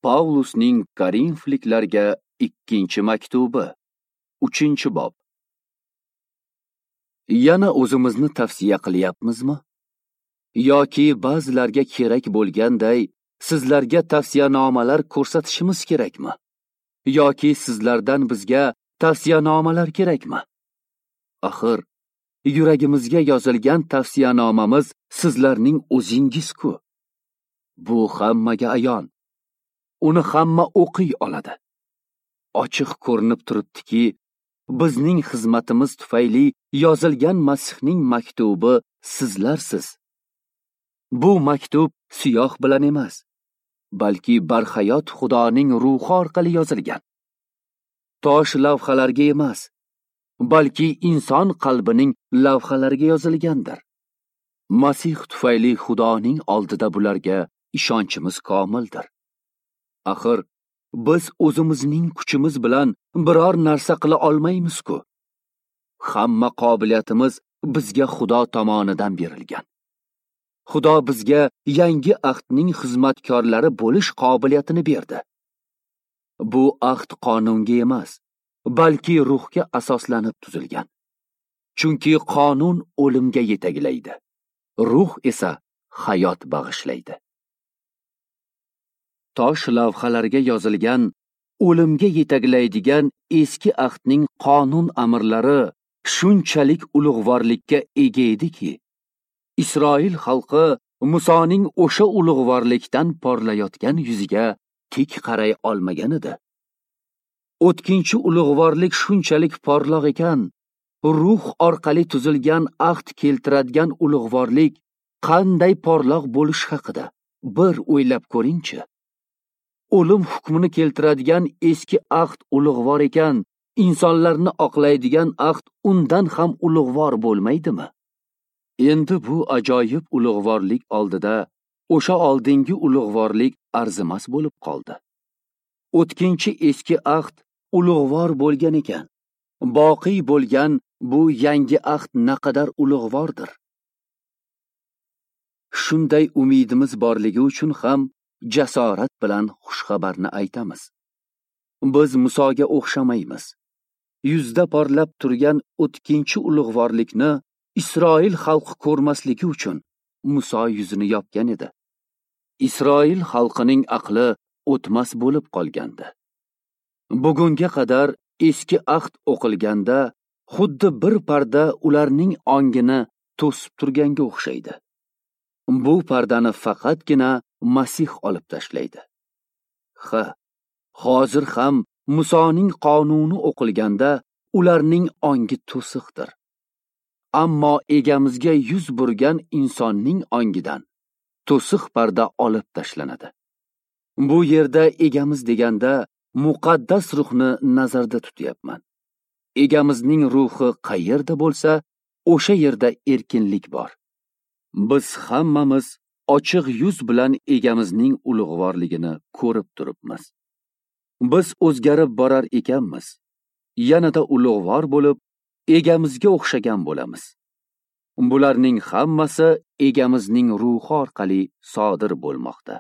Pavlusning Korinfliklarga ikkinchi maktubi, 3-bob. Yana o'zimizni tavsiya qilyapmizmi? Yoki ba'zilarga kerak bo'lganday sizlarga tavsiyanomalar ko'rsatishimiz kerakmi? Yoki sizlardan bizga tavsiyanomalar kerakmi? Axir, yuragimizga yozilgan tavsiyanomamiz sizlarning o'zingiz-ku. Bu hammaga ayon. Uni hamma o'qiy oladi. Ochiq ko'rinib turibdiki, bizning xizmatimiz tufayli yozilgan Masihning maktubi sizlarsiz. Bu maktub siyoh bilan emas, balki barhayot Xudoning ruhi orqali yozilgan. Tosh lavhalarga emas, balki inson qalbining lavhalariga yozilgandir. Masih tufayli Xudoning oldida bularga ishonchimiz komildir. Axir, biz o'zimizning kuchimiz bilan biror narsa qila olmaymiz-ku. Hamma qobiliyatimiz bizga Xudo tomonidan berilgan. Xudo bizga yangi ahdning xizmatkorlari bo'lish qobiliyatini berdi. Bu ahd qonunga emas, balki ruhga asoslanib tuzilgan. Chunki qonun o'limga yetaklaydi, ruh esa hayot bag'ishlaydi. Tosh lavhalarga yozilgan, o'limga yetaklaydigan eski ahdning qonun amrlari shunchalik ulug'vorlikka ega ediki, Isroil xalqi Musoning o'sha ulug'vorlikdan porlayotgan yuziga tik qaray olmagan edi. O'tkinchi ulug'vorlik shunchalik porloq ekan, ruh orqali tuzilgan ahd keltiradigan ulug'vorlik qanday porloq bo'lish haqida bir o'ylab ko'ringchi. O'lim hukmini keltiradigan eski ahd ulug'vor ekan, insonlarni oqlaydigan ahd undan ham ulug'vor bo'lmaydimi? Endi bu ajoyib ulug'vorlik oldida o'sha oldingi ulug'vorlik arzimas bo'lib qoldi. O'tkinchi eski ahd ulug'vor bo'lgan ekan, boqiy bo'lgan bu yangi ahd naqadar ulug'vordir. Shunday umidimiz borligi uchun ham jasorat bilan xushxabarni aytamiz. Biz Musoga o'xshamaymiz. Yuzda porlab turgan o'tkinchi ulug'vorlikni Isroil xalqi ko'rmasligi uchun Muso yuzini yopgan edi. Isroil xalqining aqli o'tmas bo'lib qolgandi. Bugunga qadar eski ahd o'qilganda xuddi bir parda ularning ongini to'sib turganga o'xshaydi. Bu pardani faqatgina Masih olib tashlaydi. Ha, hozir ham Musoning qonuni o'qilganda ularning ongi to'siqdir. Ammo egamizga yuz burgan insonning ongidan to'siq parda olib tashlanadi. Bu yerda egamiz deganda muqaddas ruhni nazarda tutyapman. Egamizning ruhi qayerda bo'lsa, o'sha yerda erkinlik bor. Biz hammamiz ochiq yuz bilan egamizning ulug'vorligini ko'rib turibmiz. Biz o'zgarib borar ekanmiz, yanada ulug'vor bo'lib, egamizga o'xshagan bo'lamiz. Bularning hammasi egamizning ruhi orqali sodir bo'lmoqda.